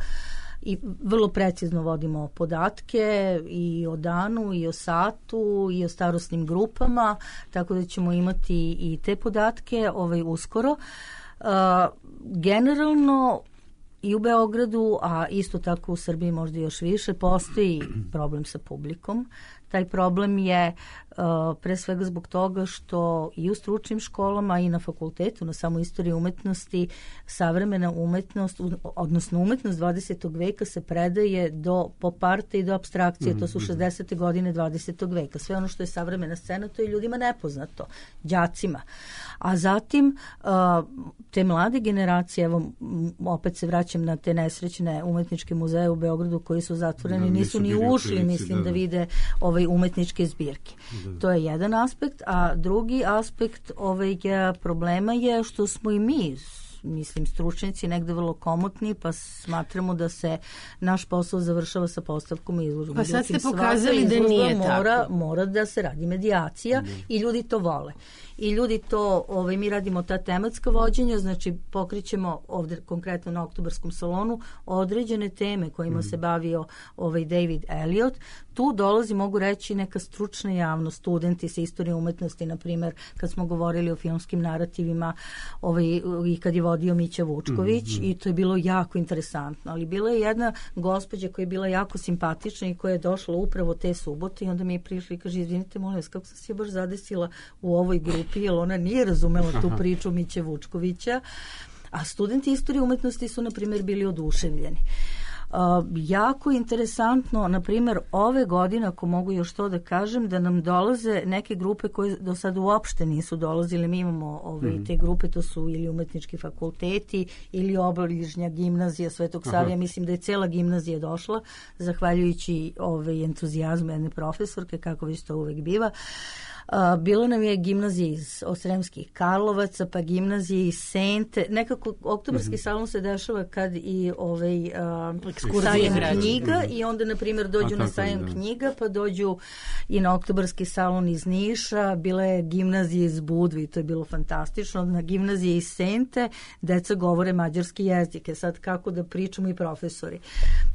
I vrlo precizno vodimo podatke i o danu, i o satu, i o starosnim grupama, tako da ćemo imati i te podatke uskoro. Generalno i u Beogradu, a isto tako u Srbiji možda još više, postoji problem sa publikom. Taj problem je pre svega zbog toga što i u stručnim školama i na fakultetu, na samoj istoriji umetnosti, savremena umetnost, odnosno umetnost 20. veka se predaje do pop arta i do apstrakcije. To su 60. godine 20. veka. Sve ono što je savremena scena, to je ljudima nepoznato, đacima. A zatim te mlade generacije, evo opet se vraćam na te nesrećne umetničke muzeje u Beogradu koji su zatvoreni, nisu ni ušli, mislim, da vide umetničke zbirke. To je jedan aspekt, a drugi aspekt problema je što smo i mi mislim, stručnjaci negde vrlo komotni, pa smatramo da se naš posao završava sa postavkom izložbe. Pa sad ste pokazali da nije tako. Mora da se radi medijacija i ljudi to vole. I ljudi to, mi radimo ta tematska vođenja, znači pokrićemo ovde konkretno na Oktobarskom salonu određene teme kojima se bavio David Elliot. Tu dolazi, mogu reći, neka stručna javnost, studenti sa istorije umetnosti, na primjer, kad smo govorili o filmskim narativima i kad je vodio Mića Vučković, i to je bilo jako interesantno. Ali bila je jedna gospođa koja je bila jako simpatična i koja je došla upravo te subote i onda mi je prišla i kaže, izvinite, molim vas, kako sam se baš zadesila u ovoj grupi, jer ona nije razumela tu priču Miće Vučkovića, a studenti istorije umetnosti su, na primjer, bili oduševljeni. Jako interesantno, na primjer, ove godine, ako mogu još to da kažem, da nam dolaze neke grupe koje do sada uopšte nisu dolazile. Mi imamo te grupe, to su ili umetnički fakulteti ili obližnja gimnazija Svetog Savija. Mislim da je cela gimnazija došla, zahvaljujući entuzijazmu jedne profesorke, kako već to uvek biva. Bilo nam je gimnazija iz Osremskih Karlovaca, pa gimnazija iz Sente. Nekako Oktobarski salon se dešava kad i sajam knjiga i onda, na primjer, dođu na sajam knjiga, pa dođu i na Oktobarski salon iz Niša. Bila je gimnazija iz Budve i to je bilo fantastično. Na gimnaziji iz Sente deca govore mađarski jezike. Sad kako da pričamo i profesori.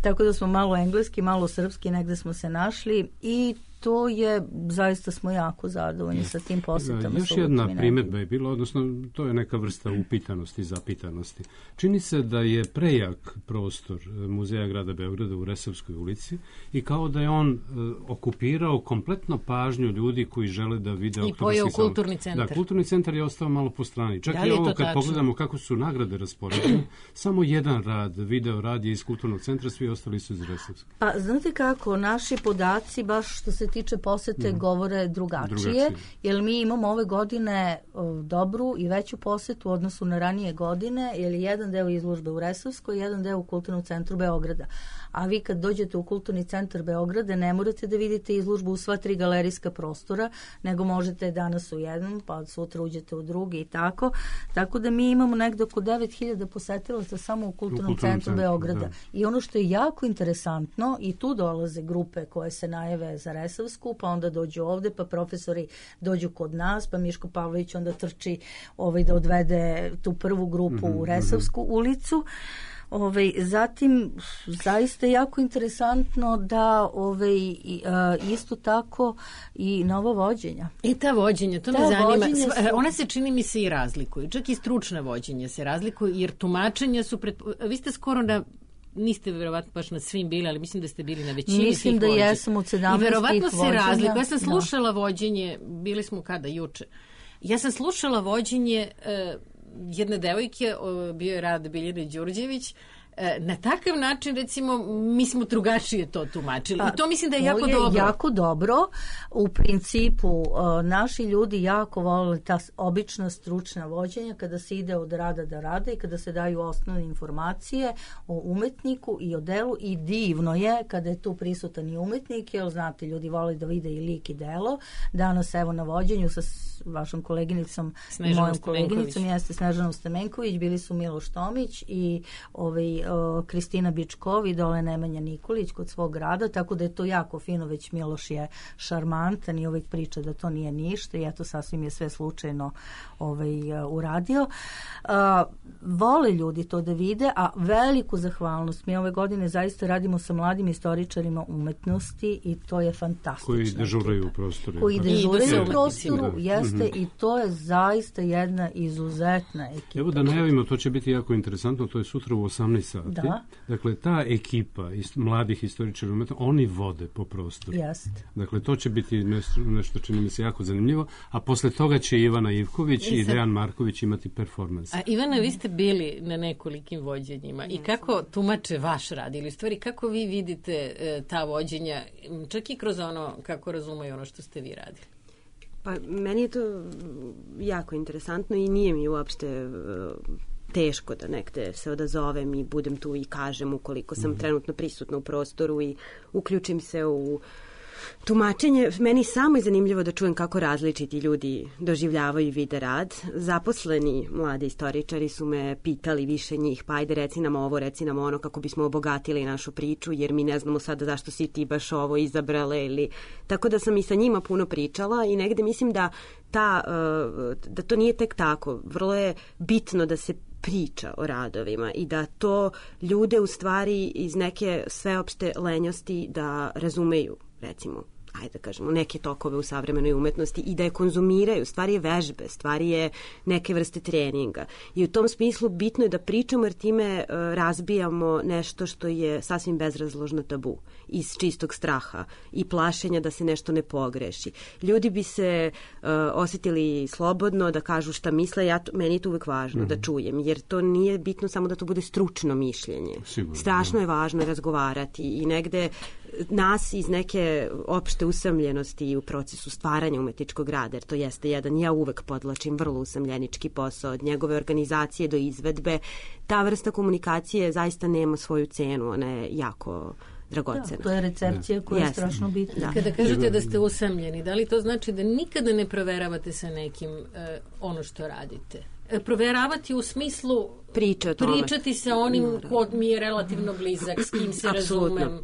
Tako da smo malo engleski, malo srpski, negde smo se našli i to je, zaista smo jako zadovoljni sa tim posetama. Još jedna primjedba je bila, odnosno to je neka vrsta upitanosti, zapitanosti. Čini se da je prejak prostor Muzeja grada Beograda u Resavskoj ulici i kao da je on okupirao kompletno pažnju ljudi koji žele da vide i pojeo kulturni centar. Da, kulturni centar je ostao malo po strani. Čak i ovo kad pogledamo kako su nagrade raspoređene, samo jedan video rad je iz kulturnog centra, svi ostali su iz Resavskog. Pa znate kako, naši podaci, baš što se tiče posete, govore drugačije, jer mi imamo ove godine dobru i veću posetu u odnosu na ranije godine, jer je jedan deo izložbe u Resavskoj, jedan deo u Kulturnom centru Beograda. A vi kad dođete u Kulturni centar Beograda ne morate da vidite izložbu u sva 3 galerijska prostora, nego možete danas u jednom, pa sutra uđete u drugi i tako. Tako da mi imamo negde oko 9.000 posetilaca samo u Kulturnom centru Beograda. Da. I ono što je jako interesantno, i tu dolaze grupe koje se najave za Resavsku, pa onda dođu ovde, pa profesori dođu kod nas, pa Miško Pavlović onda trči da odvede tu prvu grupu u Resavsku ulicu. Zatim, zaista je jako interesantno da isto tako i nova vođenja. I ta vođenja, to me zanima. Ona se, čini mi se, i razlikuju. Čak i stručna vođenja se razlikuju, jer tumačenja su... Vi ste skoro niste verovatno baš na svim bili, ali mislim da ste bili na većini. Mislim da jesam od 17 i verovatno se razlikuje. Ja sam slušala vođenje, bili smo kada, juče. Ja sam slušala vođenje jedne devojke, bio je Rada Biljana Đurđević, na takav način, recimo, mi smo drugačije to tumačili. I to mislim da je jako dobro. Jako dobro. U principu, naši ljudi jako vole ta obična stručna vođenja kada se ide od rada do rada i kada se daju osnovne informacije o umetniku i o delu, i divno je kada je tu prisutan i umetnik, jer znate, ljudi vole da vide i lik i delo. Danas, evo, na vođenju sa vašom koleginicom, mojom koleginicom, jeste Snežanom Stamenković, bili su Miloš Tomić i Kristina Bičkov i dole Nemanja Nikolić kod svog grada, tako da je to jako fino, već Miloš je šarmantan i uvijek priča da to nije ništa i eto, sasvim je sve slučajno uradio. Vole ljudi to da vide, a veliku zahvalnost mi ove godine zaista radimo sa mladim istoričarima umetnosti i to je fantastično. Koji dežuraju u prostoru. Koji dežuraju u prostoru, jeste, i to je zaista jedna izuzetna ekipa. Evo da najavimo, to će biti jako interesantno, to je sutra u 18 sati. Da. Dakle, ta ekipa mladih istoričara umetnosti, oni vode po prostoru. Jeste. Dakle, to će biti nešto čini mi se jako zanimljivo, a posle toga će Ivana Ivković i Dejan Marković imati performans. A Ivana, vi ste bili na nekolikim vođenjima i kako tumače vaš rad, ili stvari kako vi vidite ta vođenja, čak i kroz ono kako razumeju ono što ste vi radili? Pa meni je to jako interesantno i nije mi uopšte teško da nekde se odazovem i budem tu i kažem ukoliko sam trenutno prisutna u prostoru i uključim se u tumačenje, meni samo je zanimljivo da čujem kako različiti ljudi doživljavaju i vide rad. Zaposleni mladi istoričari su me pitali više njih, pa ajde reci nam ovo, reci nam ono, kako bismo obogatili našu priču, jer mi ne znamo sada zašto si ti baš ovo izabrale ili... Tako da sam i sa njima puno pričala i negde mislim da to nije tek tako. Vrlo je bitno da se priča o radovima i da to ljude u stvari iz neke sveopšte lenjosti da razumeju, recimo, ajde da kažemo, neke tokove u savremenoj umetnosti i da je konzumiraju. Stvari je vežbe, stvari je neke vrste treninga. I u tom smislu bitno je da pričamo jer time razbijamo nešto što je sasvim bezrazložno tabu iz čistog straha i plašenja da se nešto ne pogreši. Ljudi bi se osjetili slobodno da kažu šta misle, meni je to uvek važno da čujem, jer to nije bitno samo da to bude stručno mišljenje. Sigurno. Strašno je važno razgovarati i negde nas iz neke opšte usamljenosti u procesu stvaranja umetničkog rada, jer to jeste jedan, ja uvek podlačim, vrlo usamljenički posao, od njegove organizacije do izvedbe. Ta vrsta komunikacije zaista nema svoju cenu, ona je jako dragocena. Da, to je recepcija koja je strašno bitna. Da. Kada kažete da ste usamljeni, da li to znači da nikada ne proveravate sa nekim ono što radite? Proveravati u smislu pričati sa onim ko mi je relativno blizak, s kim se razumem.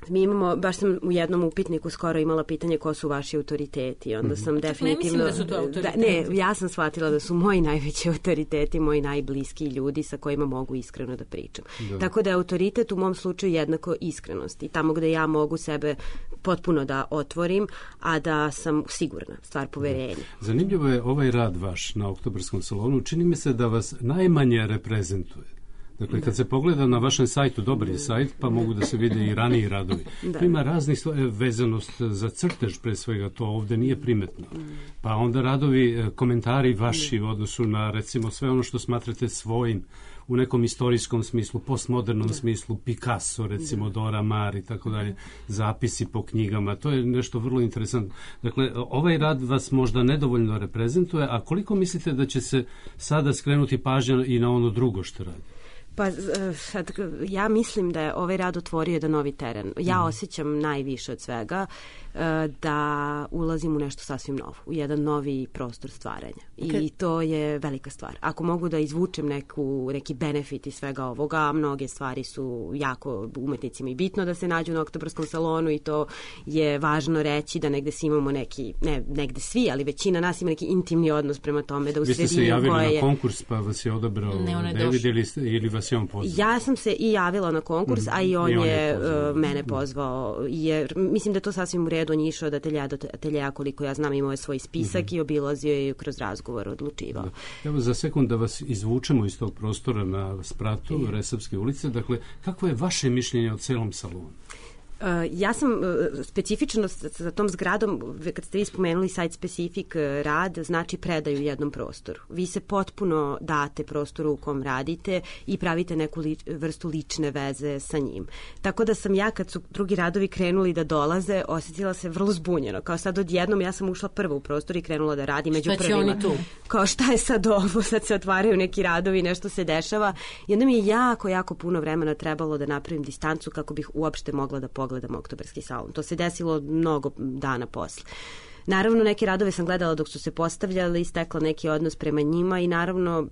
Mi imamo, baš sam u jednom upitniku skoro imala pitanje ko su vaši autoriteti. Onda sam definitivno... Ne mislim da su to autoriteti. Ne, ja sam shvatila da su moji najveći autoriteti, moji najbliski ljudi sa kojima mogu iskreno da pričam. Da. Tako da je autoritet u mom slučaju jednako iskrenosti. Tamo gde ja mogu sebe potpuno da otvorim, a da sam sigurna, stvar poverenja. Zanimljivo je ovaj rad vaš na Oktobarskom salonu. Čini mi se da vas najmanje reprezentuje. Dakle, kad se pogleda na vašem sajtu, dobar je sajt, pa mogu da se vide i raniji radovi. Tu ima raznih vezanost za crtež, pre svega, to ovde nije primetno. Pa onda radovi, komentari vaši u odnosu na, recimo, sve ono što smatrate svojim, u nekom istorijskom smislu, postmodernom smislu, Picasso, recimo, Dora Maar i tako dalje, zapisi po knjigama, to je nešto vrlo interesantno. Dakle, ovaj rad vas možda nedovoljno reprezentuje, a koliko mislite da će se sada skrenuti pažnja i na ono drugo što radi? Pa ja mislim da je ovaj rad otvorio jedan novi teren. Ja osjećam najviše od svega da ulazim u nešto sasvim novo, u jedan novi prostor stvaranja. I to je velika stvar. Ako mogu da izvučem neki benefit iz svega ovoga, mnoge stvari su jako umetnicima i bitno da se nađu na Oktobarskom salonu i to je važno reći da negde svi imamo neki, ne negde svi, ali većina nas ima neki intimni odnos prema tome da u sredini koja je... Vi ste se javili na konkurs pa vas je odabrao David ili vas je on pozvao? Ja sam se i javila na konkurs, a i on je mene pozvao. Jer mislim da to sasvim u redu. On je išao od ateljeja do ateljeja, koliko ja znam, imao je svoj spisak i obilazio je kroz razgovor odlučivao. Evo za sekund da vas izvučemo iz tog prostora na spratu Resavske ulice. Dakle, kako je vaše mišljenje o celom salonu? Ja sam specifično sa tom zgradom, kad ste vi spomenuli site specific rad, znači predaju jednom prostoru. Vi se potpuno date prostoru u kom radite i pravite neku vrstu lične veze sa njim. Tako da sam ja, kad su drugi radovi krenuli da dolaze, osjetila se vrlo zbunjeno. Kao sad odjednom ja sam ušla prvo u prostor i krenula da radim među prvima. Šta će oni tu? Kao šta je sad ovo? Sad se otvaraju neki radovi, nešto se dešava. I onda mi je jako puno vremena trebalo da napravim distancu kako bih uopšte mogla da pogledam Oktobarski salon. To se desilo mnogo dana posle. Naravno, neke radove sam gledala dok su se postavljali, stekla neki odnos prema njima i naravno,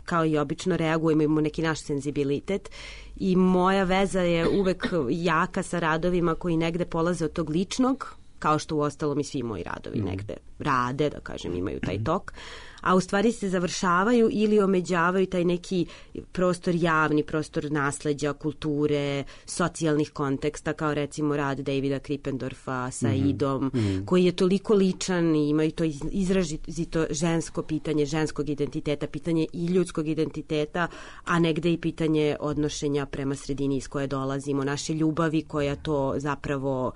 kao i obično, reagujemo, imamo neki naš senzibilitet i moja veza je uvek jaka sa radovima koji negde polaze od tog ličnog, kao što u ostalom i svi moji radovi negde rade, da kažem, imaju taj tok, a u stvari se završavaju ili omeđavaju taj neki prostor javni, prostor nasleđa, kulture, socijalnih konteksta, kao recimo rad Davida Krippendorfa sa Idom, koji je toliko ličan i ima i to izrazito žensko pitanje, ženskog identiteta, pitanje i ljudskog identiteta, a negde i pitanje odnošenja prema sredini iz koje dolazimo, naše ljubavi koja to zapravo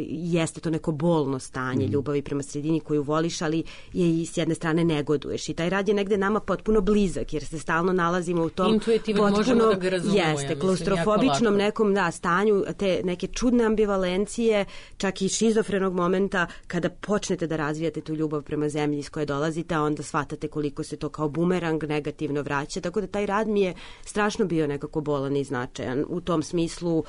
jeste to neko bolno stanje ljubavi prema sredini koju voliš, ali je i s jedne jedne strane negoduješ i taj rad je negde nama potpuno blizak jer se stalno nalazimo u tom intuitivno možemo da ga razumemo, jeste, klaustrofobičnom nekom stanju, te neke čudne ambivalencije, čak i šizofrenog momenta kada počnete da razvijate tu ljubav prema zemlji iz koje dolazite, a onda shvatate koliko se to kao bumerang negativno vraća, tako da taj rad mi je strašno bio nekako bolan i značajan u tom smislu,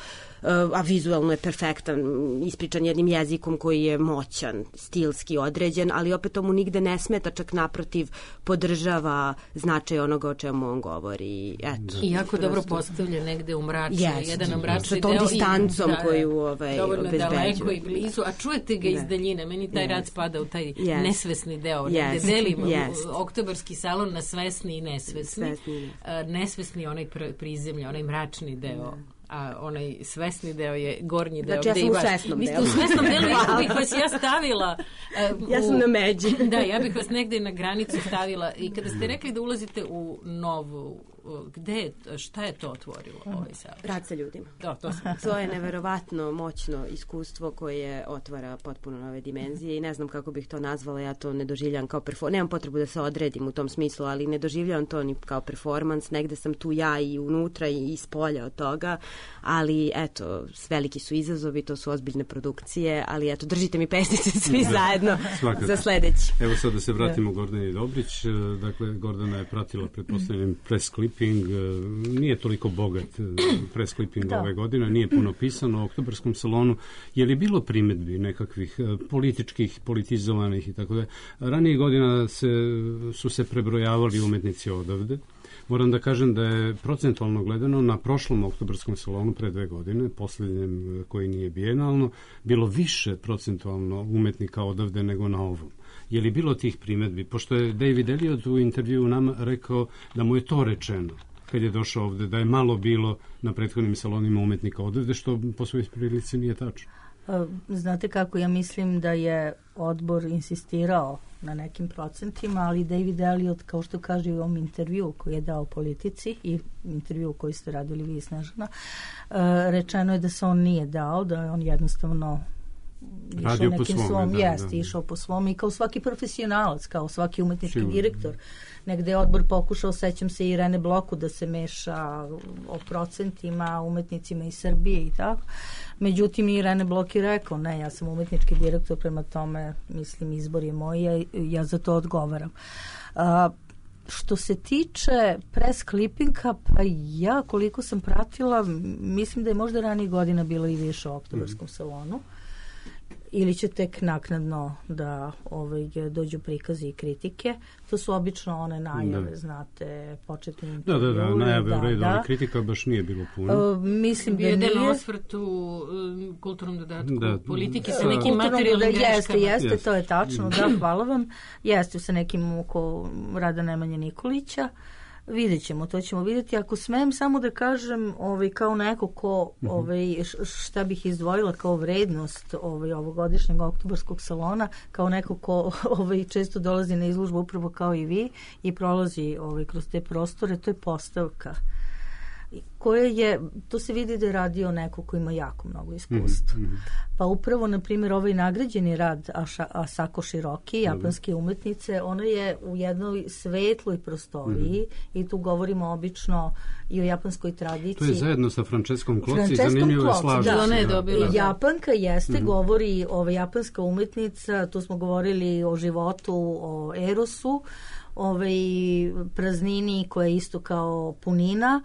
a vizualno je perfektan, ispričan jednim jezikom koji je moćan, stilski određen, ali opet tomu nigde ne smeta, čak naprotiv podržava značaj onoga o čemu on govori. Eto, i jako dobro postavlja negde u mračnoj, jedan mračni deo. Sa tom distancom koju obezbeđuje. Daleko i blizu, a čujete ga iz daljine. Meni taj rad spada u taj nesvesni deo, gde delimo oktobarski salon na svesni i nesvesni. Nesvesni onaj prizemlja, onaj mračni deo, a onaj svesni deo je gornji deo. Znači, ja sam u svesnom delu. Vi ste u svesnom delu, ja bih vas ja stavila... ja sam na međi. Da, ja bih vas negde na granicu stavila i kada ste rekli da ulazite u novu, šta je to otvorilo ovaj savez? Rad sa ljudima. Da, to je neverovatno moćno iskustvo koje otvara potpuno nove dimenzije i ne znam kako bih to nazvala, ja to ne doživljam kao nemam potrebu da se odredim u tom smislu, ali ne doživljam to ni kao performans, negde sam tu ja i unutra i iz polja od toga, ali eto, veliki su izazovi, to su ozbiljne produkcije, ali eto, držite mi pesnice svi zajedno za sledeći. Evo sad da se vratimo Gordani Dobrić, dakle Gordana je pratila, pretpostavljam, press clipping, nije toliko bogat press clipping ove godine, nije puno pisano o oktobarskom salonu. Je li bilo primedbi nekakvih političkih, politizovanih i tako da? Ranije godina su se prebrojavali umetnici odavde. Moram da kažem da je procentualno gledano na prošlom oktobarskom salonu pre 2 godine, poslednjem koji nije bijenalno, bilo više procentualno umetnika odavde nego na ovom. Je li bilo tih primedbi? Pošto je David Elliot u intervju nama rekao da mu je to rečeno kad je došao ovde, da je malo bilo na prethodnim salonima umetnika odavde, što po svojoj prilici nije tačno. Znate kako, ja mislim da je odbor insistirao na nekim procentima, ali David Elliot, kao što kaže u ovom intervju koji je dao Politici i intervju koji ste radili vi, Snežana, rečeno je da se on nije dao, da je on jednostavno radio po svom, išao po svom i kao svaki profesionalac, kao svaki umetnički direktor. Negde je odbor pokušao, sećam se Irene Bloku, da se meša o procentima, umetnicima iz Srbije i tako. Međutim, Irene Blok je rekao, ne, ja sam umetnički direktor, prema tome, mislim, izbor je moj, ja za to odgovaram. Što se tiče press clippinga, pa ja koliko sam pratila, mislim da je možda ranije godina bilo i više u oktobarskom salonu. Ili će tek naknadno da dođu prikazi i kritike. To su obično one najave, znate, početni intervju. Da, najave u redu, ali kritika baš nije bilo puno. Mislim da nije. Jedan osvrt u kulturnom dodatku politike sa nekim materijalnim greškama. Jeste, to je tačno, da, hvala vam. Jeste sa nekim oko rada Nemanje Nikolića. Vidjet ćemo, to ćemo vidjeti. Ako smem samo da kažem kao neko ko šta bih izdvojila kao vrednost ovogodišnjeg oktobarskog salona, kao neko ko često dolazi na izložbu upravo kao i vi i prolazi kroz te prostore, to je postavka koja je, to se vidi da je radio neko ko ima jako mnogo iskustva. Pa upravo, na primjer, ovaj nagrađeni rad Asako Shiroki, japanske umetnice, ona je u jednoj svetloj prostoriji i tu govorimo obično i o japanskoj tradiciji. To je zajedno sa Franceskom Kloci, zanimljivo je slaženo. Ona je dobila. Japanka jeste, govori japanska umetnica, tu smo govorili o životu, o erosu, praznini koja je isto kao punina,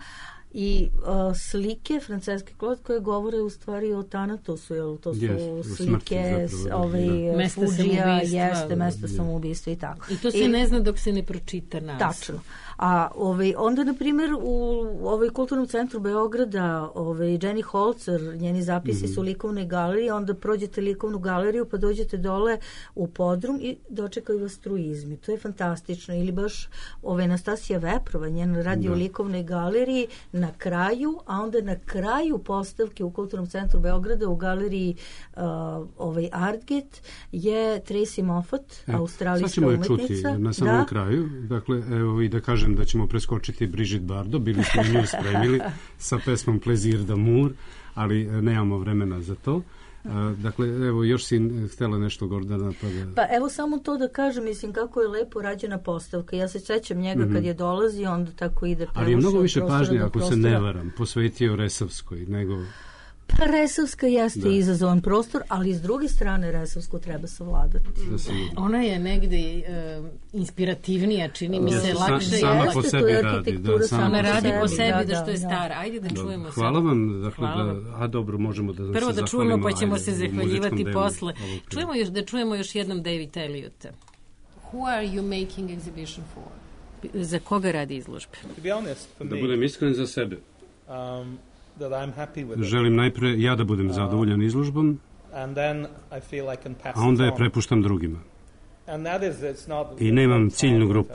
i slike Franceske Klot koje govore u stvari o Tanatosu, jer to su slike Fuđija, jeste, mesta samoubistva i tako. I to se ne zna dok se ne pročita nas. Tačno. A onda, na primjer, u Kulturnom centru Beograda Jenny Holzer, njeni zapisi su u likovnoj galeriji, onda prođete likovnu galeriju pa dođete dole u podrum i dočekaju vas truizmi. To je fantastično. Ili baš Anastasija Veprova, njena radi u likovnoj galeriji na kraju, a onda na kraju postavke u Kulturnom centru Beograda u galeriji Artget je Tracy Moffat, australijska umetnica. Sad ćemo je čuti na samom kraju. Dakle, evo i da kažem da ćemo preskočiti Brigitte Bardot, bili smo nju spremili sa pesmom Plaisir d'amour, ali nemamo vremena za to. Dakle, evo, još si htjela nešto, Gordana. Pa evo samo to da kažem, mislim, kako je lepo rađena postavka. Ja se sećam njega kad je dolazi, onda tako ide. Ali je mnogo više pažnje, ako se ne varam, posvetio Resavskoj, nego... Pa Resavska jeste izazovan prostor, ali s druge strane Resavsku treba savladati. Ona je negdje inspirativnija, čini mi se, lakše. Sama po sebi radi. Ona radi po sebi da što je stara. Ajde da čujemo se. Hvala vam. Dakle, dobro, možemo da prvo da čujemo, pa ćemo se zahvaljivati posle. Čujemo još jednom David Elliotta. Who are you making exhibition for? Za koga radi izložbe? Da budem iskren, za sebe. That I'm happy with it. Želim najpre ja da budem zadovoljan izložbom, a onda je prepuštam drugima. I nemam ciljnu grupu.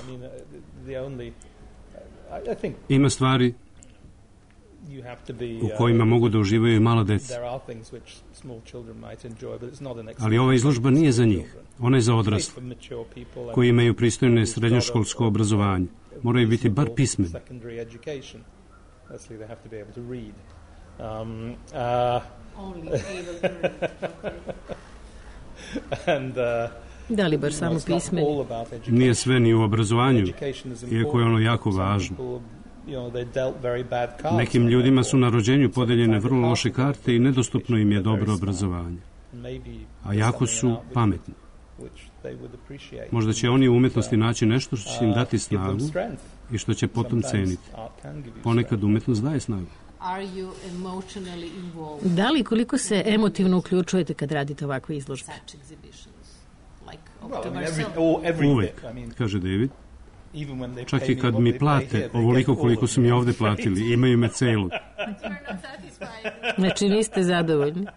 Ima stvari u kojima mogu da uživaju i mala deca. Ali ova izložba nije za njih. Ona je za odrasle, koji imaju pristojne srednjoškolsko obrazovanje. Moraju biti bar pismeni. They have to be able to read. Da li baš samo pismeni? Nije sve ni u obrazovanju, iako je ono jako važno. Nekim ljudima su na rođenju podeljene vrlo loše karte i nedostupno im je dobro obrazovanje. A jako su pametni. Možda će oni u umetnosti naći nešto što će im dati snagu i što će potom ceniti. Ponekad umetnost daje snagu. Da li koliko se emotivno uključujete kad radite ovakve izložbe? Uvek, kaže David. Čak i kad mi plate ovoliko koliko su mi ovde platili, imaju me celog. Znači niste zadovoljni?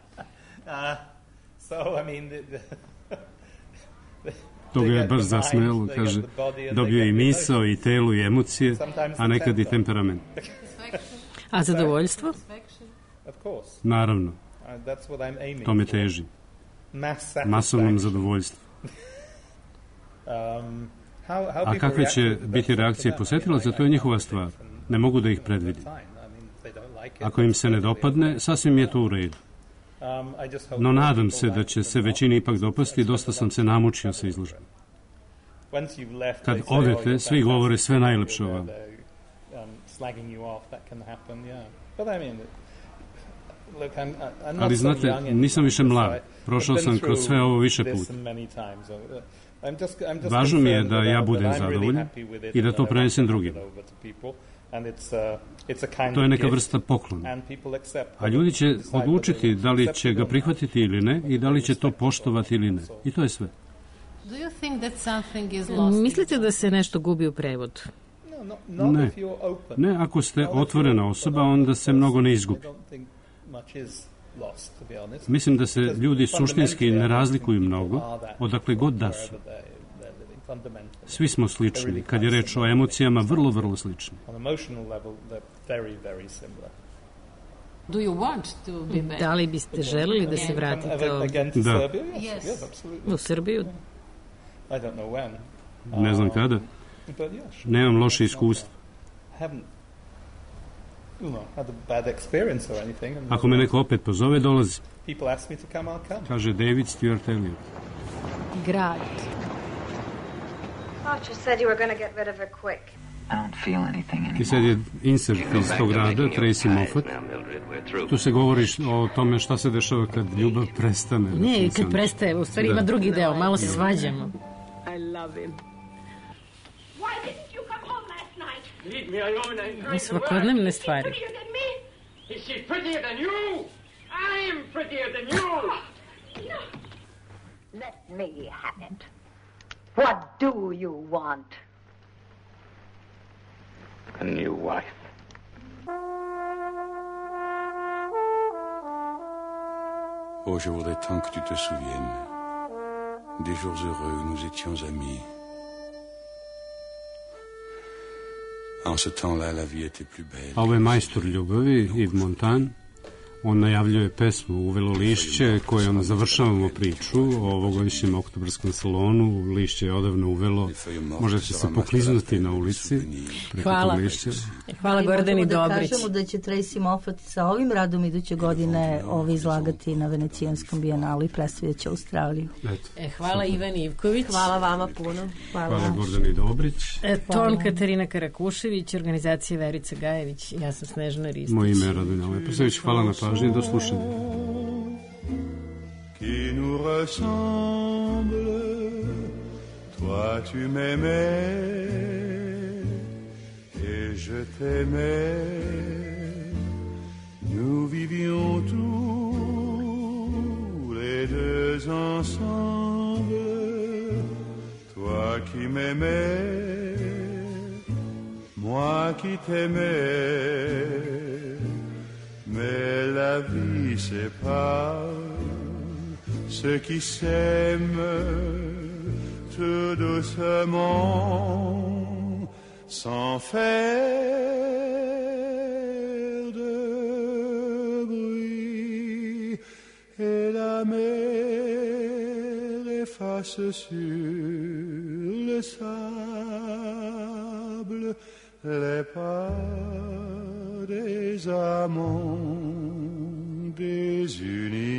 To ga je baš zasmelo, kaže, dobio i misao, i telo, i emocije, a nekad i temperament. A zadovoljstvo? Naravno, tome teži. Masovnom zadovoljstvu. A kakve će biti reakcije posetilaca, to je njihova stvar. Ne mogu da ih predvidim. Ako im se ne dopadne, sasvim je to u redu. No nadam se da će se većini ipak dopasti, dosta sam se namučio sa izložbom. Kad odete, svi govore sve najlepše o vama. Ali znate, nisam više mlad, prošao sam kroz sve ovo više puta. Važno mi je da ja budem zadovoljan i da to prenesem drugima. To je neka vrsta poklona. A ljudi će odlučiti da li će ga prihvatiti ili ne i da li će to poštovati ili ne. I to je sve. Mislite da se nešto gubi u prevodu? Ne. Ne, ako ste otvorena osoba, onda se mnogo ne izgubi. Mislim da se ljudi suštinski ne razlikuju mnogo, odakle god da su. Svi smo slični. Kad je reč o emocijama, vrlo, vrlo slični. Da li biste želeli da se vratite ovdje? Da. U Srbiju? Ne znam kada. Nemam loše iskustvo. Ako me neko opet pozove, dolazi. Kaže David Stuart Elliott. Grad. Archer said you were going to get rid of her quick. I don't feel anything anymore. I sad je insert iz tog rada, Tracy Moffat. Tu se govori o tome šta se dešava kad ljubav prestane. Ne, kad prestaje, u stvari ima drugi deo, malo se svađamo. I love him. Why didn't you come home last night? Leave me alone. I svakodnevne stvari. Is she prettier than you? I'm prettier than you. Let me have it. What do you want? A new wife. Oh, je voudrais tant que tu te souviennes des jours heureux où nous étions amis. En ce temps-là, la vie était plus belle. Ovo je majstor ljubavi, Yves Montand, on najavljuje pesmu Uvelo lišće, kojom završavamo priču o ovogodišnjem oktobarskom salonu. Lišće je odavno uvelo, možete se pokliznuti na ulici preko tog lišća. Hvala Gordani Dobrić. Da kažemo da će Tracy Moffat sa ovim radom iduće godine izlagati na Venecijanskom bijenalu i predstavljaće Australiju. Hvala Ivan Ivković. Hvala vama puno. Hvala Gordani Dobrić. Ton Katarina Karakušević, organizacija Verica Gajević, ja sam Snežana Ristić. Moje ime je Radonja Leposavić, hvala na pažnji, do slušanja. Qui nous ressemble, toi tu m'aimais et je t'aimais, nous vivions tous les deux ensemble, toi qui m'aimais, moi qui t'aimais, mais la vie sépare ceux qui s'aiment tout doucement, sans faire de bruit, et la mer efface sur le sable les pas des amants désunis.